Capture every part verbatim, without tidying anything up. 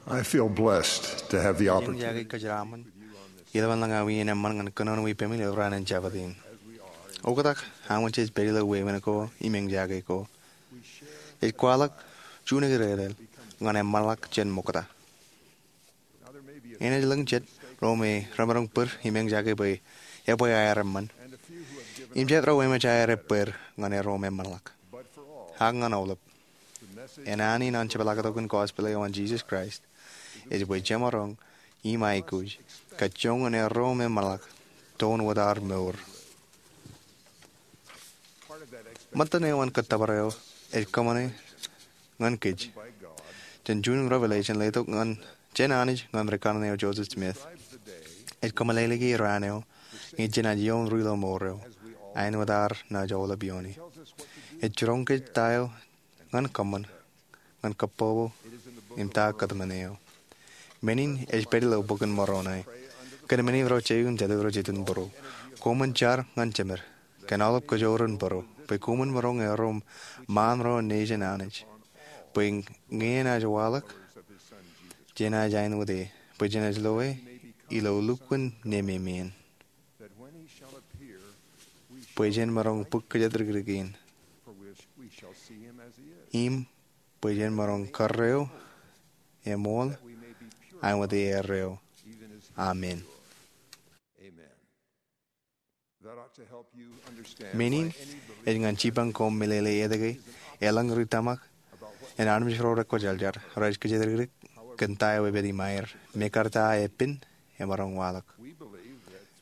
I feel blessed to have the opportunity. Eñjake kōjeraṃṃan ilo aolep aō wien eṃṃan ñan kōnono ippaṃ ilo raan in Jabōt in. Oktak, aṃ wōj jej pād ilo wāween ko im eñjake ko. Ej kwaḷọk juon eklejia ñan eṃṃanḷọk jān ṃokta. Enaaj lōñ jet ro me remaroñ bōd im eñjake bwe ebwe aer eṃṃan, im jet ro eṃōj aer bōd ñan erro me eṃṃanḷọk. Ak ñan aolep, enani in an jepḷaaktok in gospel eo an Jesus Christ ej bwe jemaroñ im aikuj kajjoñan erro me eṃṃanḷọk toon wōt ad mour. Ṃōttan eo an kōttōpar eo ej kōṃṃane ñan kōj jān juon revelation letok jān Anij ñan rikanaan eo Joseph Smith. Ej kōmeḷeḷeiki raan eo ñe jenaaj ioon ri-loṃour eo, āinwōt ad naaj aolep iooni. Ej jiroñ kōj ta eo ñan kōṃṃan ñan kōpopo im ta kōtmān eo. Men in ej pād ilo bok in Moroni. Kōn men in ro jeiū im jatū ro jitōnbōro, koṃwin jar ñan jemed kōn aolep kōjro in bōro, bwe koṃwin maroñ erro ṃaan ro nejin Anij, bwe ñe enaaj waḷọk, jenaaj āinwōt e, bwe jenaaj loe ilo lukkuun nememien, bwe jen maroñ bōk kōjatdikdik in, im bwe jen maroñ karreo im ṃool āinwōt e erreo. Amen. Men in ej ñan jipañ koṃ meḷeḷe etke eḷaññe ri tōmak in armej ro rekwōjarjar rej kōjatdikdik kōn ta eo ej pād im aer, mekarta epen emaroñ waḷọk.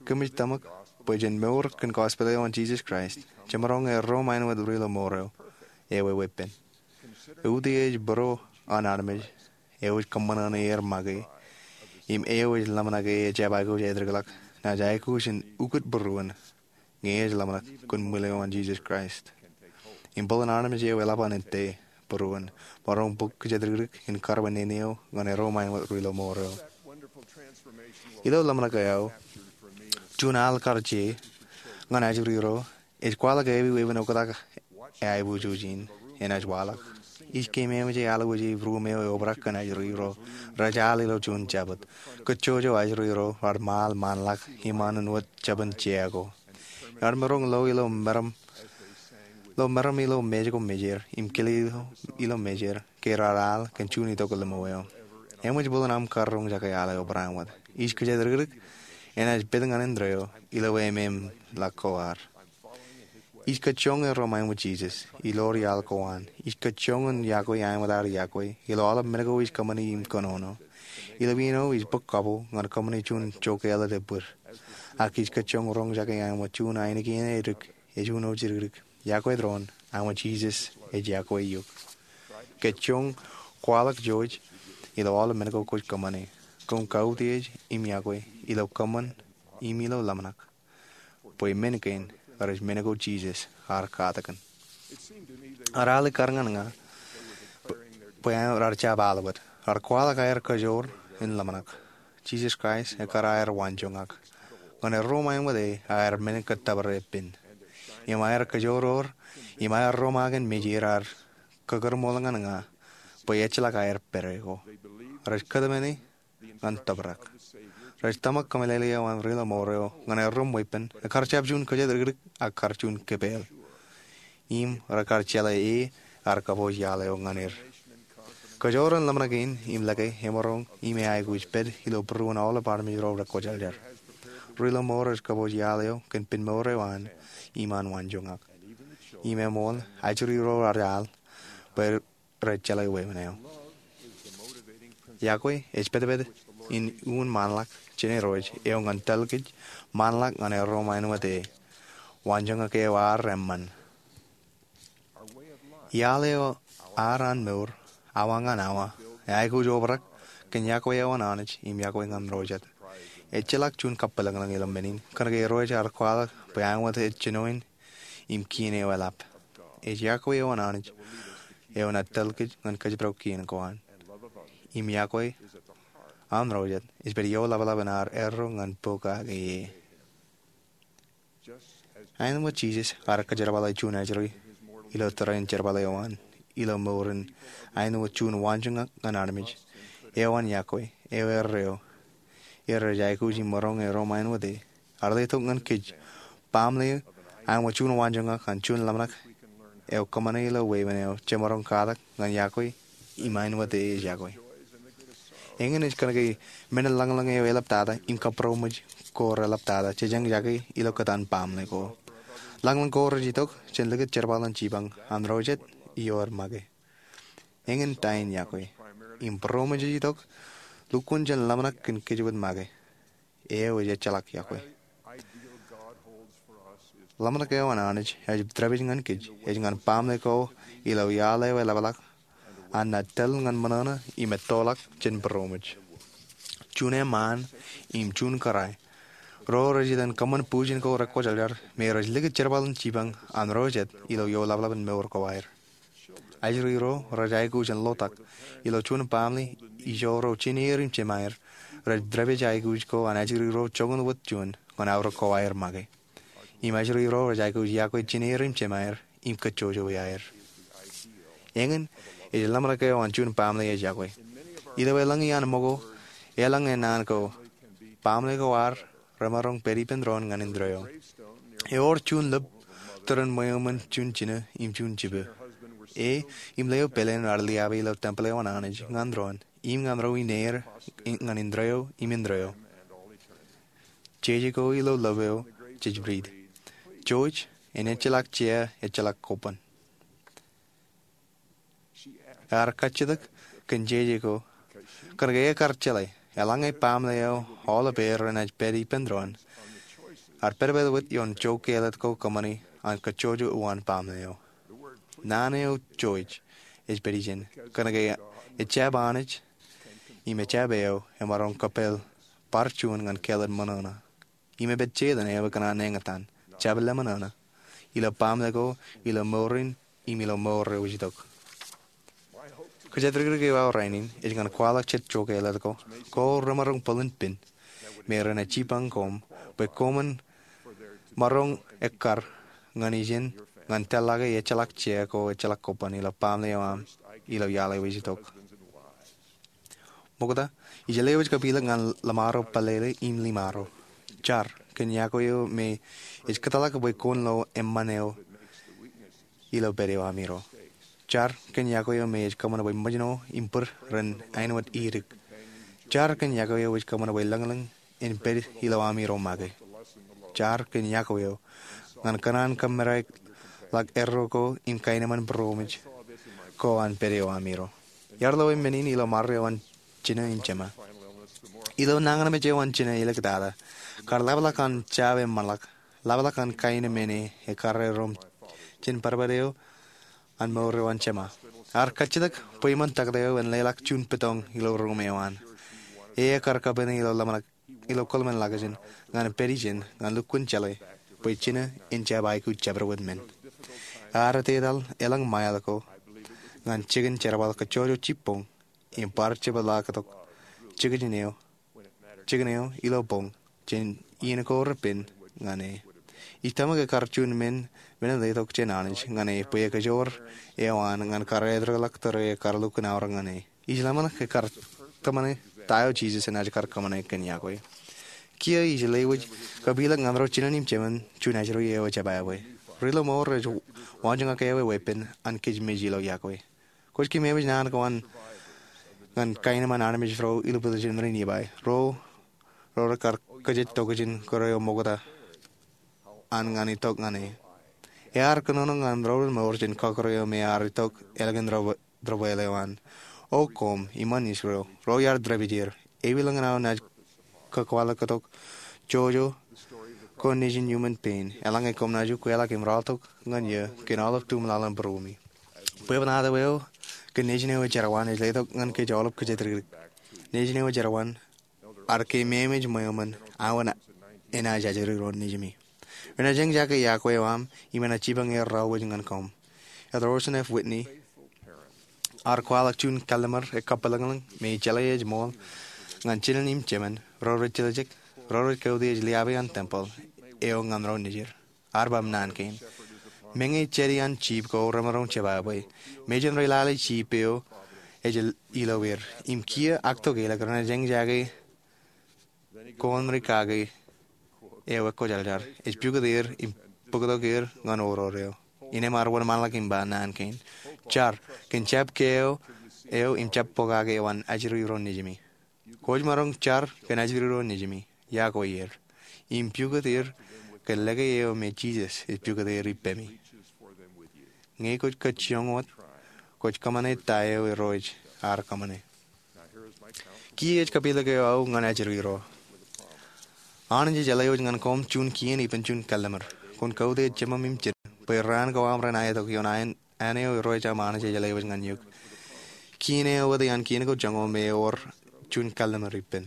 Kōmij tōmak bwe jen mour kōn gospel eo an Jesus Christ, jemaroñ erro ṃaan wōt ri-loṃour eo, ewi weeppān. Utiej bōro an armej eo ej kōṃṃan ñan er make im eo ej ḷōmṇak e ejjab aikuj aetokḷọk, naaj aikuj in ukōt būruon ñe ej ḷōmṇak kōn ṃwiin eo an Jesus Christ. Im bōlen armej eo eḷap an ettā būruon, maroñ bōk kōjatdikdik in kar bwe nene eo ñan erro ṃaan wōt ri-loṃour eo. Ilo ḷōmṇak eo, juon al kar je ñan ajri ro ej kwaḷọk ewi weeppān oktak aiboojoj in enaaj waḷọk. Ij keememej e alwōj e ruum eo eobrak kōn ajri ro rej al ilo juon jabōt. Kōjjojo ajri ro rar ṃaal ṃaanḷọk im an wōt jabōn jea ko. Ear maroñ lo ilo meram, lo meram ilo mej ko mejād im kile ilo mejād ke rar al kōn juon itok ḷimo eo. Eṃōj bōlen aṃ kar roñjake al eo barāinwōt. Ij kōjatdikdik enaaj pād ñan indeeo ilo ememḷọk ko ad. Ij kajjioñ erro ṃaan wōt Jesus ilo iaḷ ko an. Ij kajjioñ in yokwe āinwōt ad yokwe ilo aolep men ko ij kōṃṃane im kōnono. Ilo iien eo ij bōk kapo ñan kōṃṃane juon jokāālōt ebōd. Ak ij kajjioñ roñjake āinwōt juon ainikien edik ej uno jidikdik. Yokwe doon āinwōt Jesus ej yokwe eok. Kajjioñ kwaḷọk jouj ilo aolep men ko kwōj kōṃṃane. Koṃ kautiej im yokwe ilo kōṃṃan im ilo ḷōmṇak, bwe men kein rej men ko Jesus ear katakin. Ear al kar ñan ña bwe rar jab al wōt. Rar kwaḷọk aer kajoor in ḷōmṇak. Jesus Christ ekkar aer waanjoñak. Ñan erro ṃaan wōt e aer men kōttōpar epen. Im aer kajoor ewōr, im aer romaak in mejād aer kōkūrṃool ñan ña bwe ejjeḷọk aer pād e ko. Rej kōtmāne ñan tōprak. Rej tōmak kōmeḷeḷe eo an ri-loṃour eo ñan erro im weeppān, ekkar jab juon kōjatdikdik ak kar juon kepeel. Im rekar jeḷā e ear kapooj iaḷ eo ñan er. Kajoor in ḷōmṇak in im lōke emaroñ im eaikuj pād ilo būruon aolep armej ro rekwōjarjar. Ri-loṃour rej kapooj iaḷ eo kōn pen mour eo an im an waanjoñak. Im eṃool ajri ro rej al bwe rej jeḷā weeppān eo. Yokwe ej pātpāt in uññān ṃaanḷọk jān Irooj eo ñan tōl kōj ṃaanḷọk ñan erro ṃaan wōt e. Waanjoñak eo ad eṃṃan. Iaḷ eo ad an mour awa ñan awa eaikuj obrak kōn yokwe eo an Anij im yokwe ñan ro jet. Ejjeḷọk juon kabwilōñlōñ ilo men in kōnke Irooj ear kwaḷọk bwe āinwōt ej jinoin im kien eo eḷap. Ej yokwe eo an Anij eo enaaj tōl kōj ñan kōjparok kien ko an. Im yokwe an ro jet ej pād ioḷapḷap in ad erro ñan pokake e. Āinwōt Jesus ear kōjerbale juon ajri ilo tōre in jerbal eo an ilo mour in āinwōt juon waanjoñak ñan armej, eo an iọkwe eo erreo. Rej aikuj im maroñ e ro ṃaanwōt e. Ear letok ñan kōj baaṃle eo an juon waanjoñak an juon ḷōmṇak eo kōṃṃane ilo wāween eo jemaroñ katak ñan iọkwe im ṃaanwōt e ej iọkwe. Eñin ej kōnke men in lañlōñ eo eḷaptata im kabūroṃōj ko reḷaptata jej eñjake ilo kōtaan baaṃle ko. Lañlōñ ko rej itok jān likūt jerbal in jipañ an ro jet ioer make. Eñin ta in iọkwe im būroṃōj ej itok lukkuun jān ḷōmṇak kōn kōjwōj make. Eo ej ejjeḷọk iọkwe. Ḷōmṇak eo an Anij ej tōprak ñan kōj ej ñan baaṃle ko ilo iaḷ eo eḷapḷọk an naaj tōl ñan ṃōṇōṇō im ettoḷọk jān būroṃōj. Juon eṃṃaan im juon kōrā ro rej itōn kōṃṃan bujen ko rekwōjarjar me rej likūt jerbal in jipañ an ro jet ilo ioḷapḷap in mour ko aer. Ajri ro rej aikuj in lotak ilo juon baaṃle ijo ro jineer im jemaer rej tōprak aikuj ko an ajri ro joñan wōt juon ñan aorōk ko aer make. Im ajri ro rej aikuj iọkwe jineer im jemaer im kōjjojo iaer. Eñin ej ḷōmṇak eo an juon baaṃle ej iọkwe. Ilo elōñ iaan ṃōko, elōñ e naan ko, baaṃle ko ad remaroñ pād ippān doon ñan indeeo. Ewōr juon lōb tōre ṃweo ṃōn juon jino im juon jibwe. E im leo pāleen ear liabe ilo tempōl eo an Anij ñan doon im ñan ro ineer ñan indeeo im indeeo. Jeje ko ilo lōb eo jej riit, Jouj, en ejjeḷọk jea, ejjeḷọk koban. Ear kajjitōk kōn jeje ko kōnke ekar jeḷā eḷaññe baaṃle eo aolep er renaaj pād ippān doon, ear pād wōt ioon joke āliktata ko kōṃṃani an kōjjojo uwaan baaṃle eo. Naan eo jouj ej pād ijin kōnke ejjab Anij im ejjab eo emaroñ kōppāl bar juon ñan kāālōt ṃōṇōṇō. Im ej pād Setan eo ekōṇaan eñtaan, jab lemṃōṇōṇō, ilo baaṃle ko, ilo mour in, im ilo mour eo ej itok. Kōjatdikdik eo aō rainin ej ñan kwaḷọk jet joke āliktata ko, ko remaroñ bōlen pen me renaaj jipañ koṃ bwe koṃwin maroñ ekkar ñan ijin ñan tōl ḷọk e ejjeḷọk jea ko ejjeḷọk koban ilo baaṃle eo aṃ ilo iaḷ eo ej itok. Ṃokta, ij lewōj kapilōk ñan ḷōṃaro, pālele im ḷōṃaro. Jar kōn iọkwe eo me ej kōtḷọk bwe kwōn lo eṃṃan eo ilo pād eo aṃiro. Jar kōn iọkwe eo me ej kōṃṃan bwe ṃōjṇo im bōd ren āinwōt idik. Jar kōn iọkwe eo ej kōṃṃan bwe lōñlōñ en pād ilo aṃiro make. Jar kōn iọkwe eo ñan kōṇaan kōmmedaik ḷọk erro ko im kaenōṃṃan būroṃōj ko an pād eo aṃiro. Iar lo men in ilo ṃare eo an Jina im Jema. Ilo nañinmej eo an Jina āliktata, kar ḷapḷọk an jab eṃṃanḷọk, ḷapḷọk an kaenōṃṃan e ekkar erom jān badbad eo an mour eo an Jema. Ear kajjitōk bwe eṃṃan taktō eo en leḷọk juon bōtōñ ilo ruum eo an. E ekkar kappāne ilo ḷōmṇak ilo kōḷmānḷọkjeṇ ñan pād ijin ñan lukkuun jeḷā bwe Jina en jab aikuj jabdewōt men. Ear etetal elōñ mile ko ñan jikin jerbal kōjjojo jibboñ im bar jepḷaaktok jikin eo, jikin eo ilo boñ jān iien ko repen ñan e. Ij tōmak ekkar juon men, men in letok jān Anij ñan e bwe ekajoor eo an ñan kar etrōḷọk tōre ekkar lukkuun aorōk ñan e. Ij ḷōmṇak ekkar tōmane ta eo Jisōs enaaj kar kōṃṃane kōn iọkwe. Kiiō ij lewōj kapilōk ñan ro jinen im jemen juon ajri eo ejjab aō bwe ri lo mour rej waanjoñak ewe weeppān an kōj mej ilo iọkwe. Kwōj keememej naan ko an ñan kaenōṃṃan armej ro ilubwilōjin ri Nifai, ro, ro rekar kōjej tokjān kōrā eo ṃokta an ñan itok ñan e. Ear kōnono ñan ro ren mour jān kọkkure eo me ear itok ālikin ro, ro bwele eo an. O koṃ iṃaan Israel, ro iar dāpij er, ewōr lōñ in aō naaj kakwaḷọk tok jojo ko nejin iuṃwin pein, eḷaññe koṃ naaj ukweḷọk im rọọltok ñan eō kōn aolep tumḷaḷ in būruemi. Bwebwenato eo kōn nejin eo ej jerọwiwi ej letok ñan kōj aolep kōjatdikdik. Nejin eo ej jerọwiwi ear keememej ṃweo ṃōn aō enaaj ajri ro nejimi. Renaaj eñjake iọkwe eo aṃ im enaaj jipañ er raorōk ñan koṃ. Elder Orson F. Whitney ear kwaḷọk juon kallim̧ur ekkapelōñlōñ me ij jeḷā ej ṃool ñan jinen im jemen ro rej tiljek, ro rej kautiej liabe an tempeḷ eo ñan ro nejid. Ear ba naan kein: Meñe jetōb an jip ko remaroñ jebwābwe, mejān ri lale jip eo ej ilo er. Im kiiō ak tokālik renaaj eñjake koṃ ri kake eo ekwojarjar. Ej pukot er im bōktok er ñan oror eo. Innām ear wōnṃaanḷọk im ba naan kein, jar kōn jab ke eo im jab pokake eo an ajri ro nejimi. Kwōj maroñ jar kōn ajri ro nejimi. Yokwe er im pukot er kōn lōke eo me Jisōs ej pukot er ippemi. Ñe kwōj kajjioñ wōt, kwōj kōṃṃane ta eo Irooj ear kōṃṃane. Kiiō ej kapilōk eo aō ñan ajri ro. Anij ej lewōj ñan koṃ juon kien ippān juon kalliṃur. Kwōn kautiej jemem im jinōm bwe raan ko aṃ ren aetok ioon āne eo Irooj aṃ Anij ej lewōj ñan eok. Kien eo wōt iaan kien ko joñoul me ewōr juon kalliṃur ippān.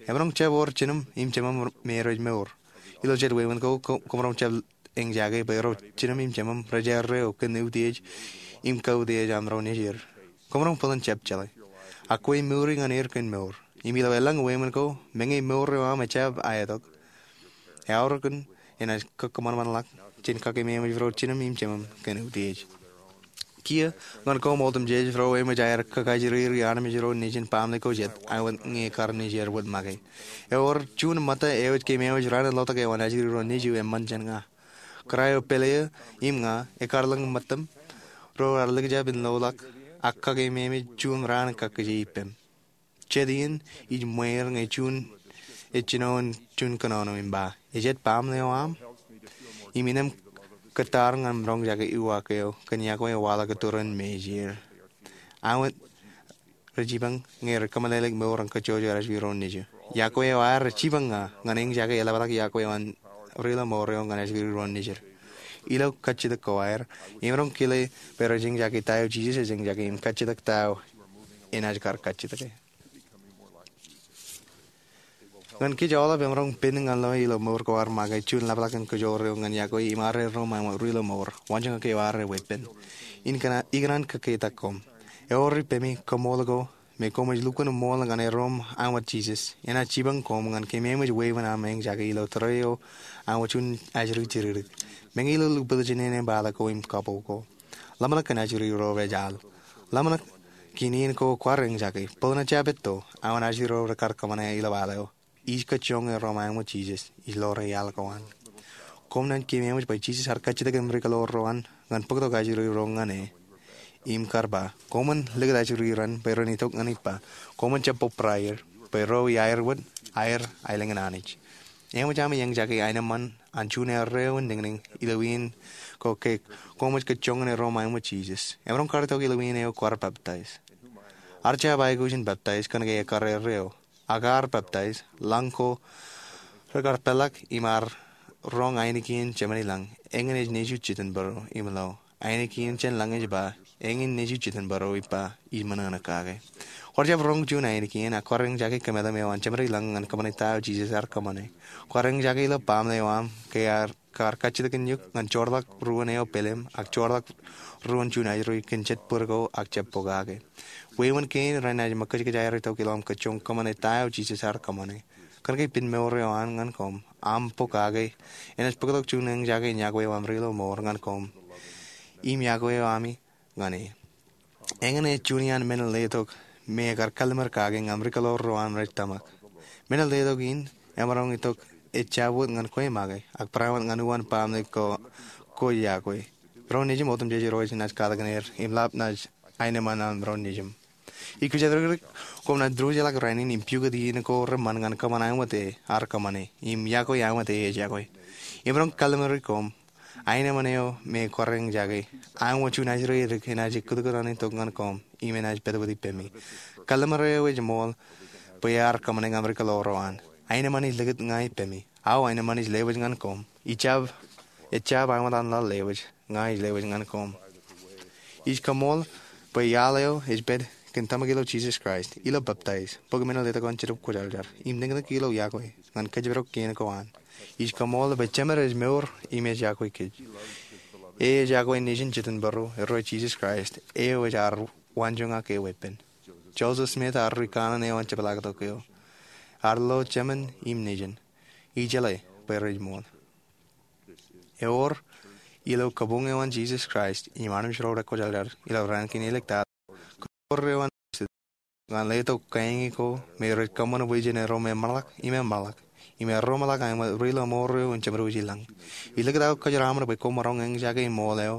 Emaroñ jab wōr jinōm im jemem me rej mour. Ilo jet wāween ko, koṃ, koṃ maroñ jab eñjake bwe ro jinōm im jemem rej erreo kōn utiej im kautiej aṃ ro nejid. Koṃ maroñ bōlen jab jeḷā. Ak kwe mour ñan er kōn mour. Im ilo elōñ wāween ko, meñe mour eo aṃ ejjab aetok, eaorōk in enaaj kōkōṃanṃanḷọk jān kakeememej ro jinōm im jemem kōn utiej. Kiiō ñan koṃ otemjej ro eṃōj aer kakajiriri armej ro nejin baaṃle ko jet, āinwōt ñe kar nejid wōt make. Ewōr juon ṃōtta eo ej keememej raan in lotok eo an ajri ro nejū eṃṃan jān ña. Kōrā eo pāle eō im ña, ekkar lōñ ṃōttaṃ, ro raar likjab in loḷọk, ak kakeememej juon raan kakkije ippem. Jet iien ij ṃweer ñe juon ej jino juon kōnono im ba, ej jet baaṃle eo aṃ? Im innām kōttar ñan roñjake uwaak eo kōn yokwe eo waḷọk ituriin me ej er. Āinwōt rej jipañ ñe rej kōmeḷeḷeik mour an kajjojo ajri ro nejū. Yokwe eo aer rej jipañ ña ñan eñjake eḷapḷọk yokwe eo an ri ilo mour eo ñan ajri ro nejid. Ilo kajjitōk ko aer, emaroñ kile bwe rej eñjake ta eo Jisōs ej eñjake im kajjitōk ta eo enaaj kar kajjitōke. Ñan kōj aolep, emaroñ pen ñan lọe ilo mour ko ad make juon ḷapḷọk in kajoor eo ñan yokwe im ad erro ṃae ri ilo mour, waanjoñak eo ad weeppān. Ikōṇaan kōkketak koṃ. Ewōr ippemi kaṃool ko me koṃij lukkuun ṃool ñan erro ṃae Jisōs, enaaj jipañ koṃ ñan keememej wāween aṃ eñjake ilo tōre eo aṃ juon ajri jidikdik. Meñe ilo lukkuun jinen āne bale ko im kapo ko, ḷōmṇak kōn ajri ro rej al. Ḷōmṇak kōn iien ko kwaar eñjake, bōlen jab etto, aṃ ajri ro rekar kōṃṃane ilo al eo. Ij kajjioñ erro ṃae Jisōs, ij ḷoor iaḷ ko an. Koṃ naaj keememej bwe Jisōs ear kajjitōk im ri kōḷoor ro an ñan bōktok ajri ro ñan e. Im kar ba, koṃwin likūt ajri ro an bwe ren itok ñan ippa. Koṃwin jab bōbrae er, bwe ro iaer wōt, aer aelōñ in Anij. Eṃōj ami eñjake aenōṃṃan an juon erreo in niñniñ ilo iien ko ke koṃij kajjioñ erro ṃae Jisōs. Emaroñ kar itok ilo iien eo kwaar baptize. Ad jab aikuj in baptize kōnke ekkar erreo. Ak ad baptize, lañ ko rekar peḷḷọk im ad roñ ainikien Jemān i lañ, eñin ej nejū jitōnbōro im lo. Ainikien jān lañ ej ba, eñin nejū jitōnbōro ippa, ij ṃōṇōṇō kake. Kwaar jab roñ juon ainikien, ak kwaar eñjake kōmetem eo an Jemān i lañ ñan kōṃṃane ta eo Jisōs ear kōṃṃane. Kwaar eñjake ilo baaṃle eo aṃ ke ear kar kajjitōk in eok ñan joorḷọk ruōn eo pelem, ak joorḷọk ruōn juon ajri kōn jet bōd ko ak jab pokake. Wāween kein renaaj ṃōkajkōj aer itok ilo aṃ kajjioñ kōṃṃane ta eo Jisōs ear kōṃṃane. Kōnke pen mour eo an ñan koṃ, aṃ pokake, enaaj bōktok juon eñjake in yokwe eo aṃ ri ilo mour ñan koṃ. Im yokwe eo ami ñan e. Eñin ej juon iaan men in letok me ekar kalliṃur kake ñan ri kōḷoor ro an rej tōmak. Men in letok in, emaroñ itok ejjab wōt ñan kwe make, ak barāinwōt ñan uwaan baaṃle ko kwōj yokwe. Ro nejūṃ otemjej Irooj enaaj katakin er, im ḷap naaj aenōṃṃan an ro nejūṃ. Ij kōjatdikdik, koṃ naaj diwōjḷọk rainin im pukot iien ko reṃṃan ñan kōṃṃan āinwōt e ear kōṃṃane, im yokwe āinwōt e ej yokwe. Emaroñ kalliṃuri koṃ, aenōṃṃan eo me kwaar eñjake, āinwōt juon ajri edik enaaj ekkūtkūt an itok ñan koṃ, im enaaj pād wōt ippemi. Kalliṃur eo ej ṃool, bwe ear kōṃṃane ñan ri kōḷoor ro an. Aenōṃṃan ej likūt ña ippemi. Aō aenōṃṃan ej lewōj ñan koṃ. Ejjab, ejjab āinwōt an laḷ lewōj, ña ij lewōj ñan koṃ. Ij kaṃool, bwe iaḷ eo ej pād kōn tōmak ilo Jisōs Kraist, ilo baptize, bōk men in letok an Jetōb Kwōjarjar, im niñniñ ilo yokwe, ñan kōjparok kien ko an. Ij kaṃool bwe Jemed ej mour im ej yokwe kōj. E ej yokwe Nejin Jitōnbōro, Irooj Jisōs Kraist, eo ej ad waanjoñak ke weeppān. Joseph Smith ear ri kanaan eo an jepḷaaktok eo. Ear lo Jemed im Nejin. Ijeḷā bwe rej ṃool. Ewōr, ilo kabuñ eo an Jisōs Kraist, im armej ro rekwōjarjar, ilo raan kein eliktaan, kōn mour eo an ñan letok kōn ko me rej kōṃṃan bwe jen ro me ṃōḷak im eṃṃanḷọk im ro ṃōḷak aṃ ri lọmọọr eo im jemdewōj i lañ. Ij likūt aō kōjeraaṃṃan bwe koṃ maroñ eñjake ṃool eo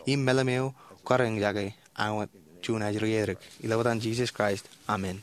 im meḷeḷe eo kar eñjake aṃ juon ajri eo. Ij lo etan Jisōs Kraist, amen.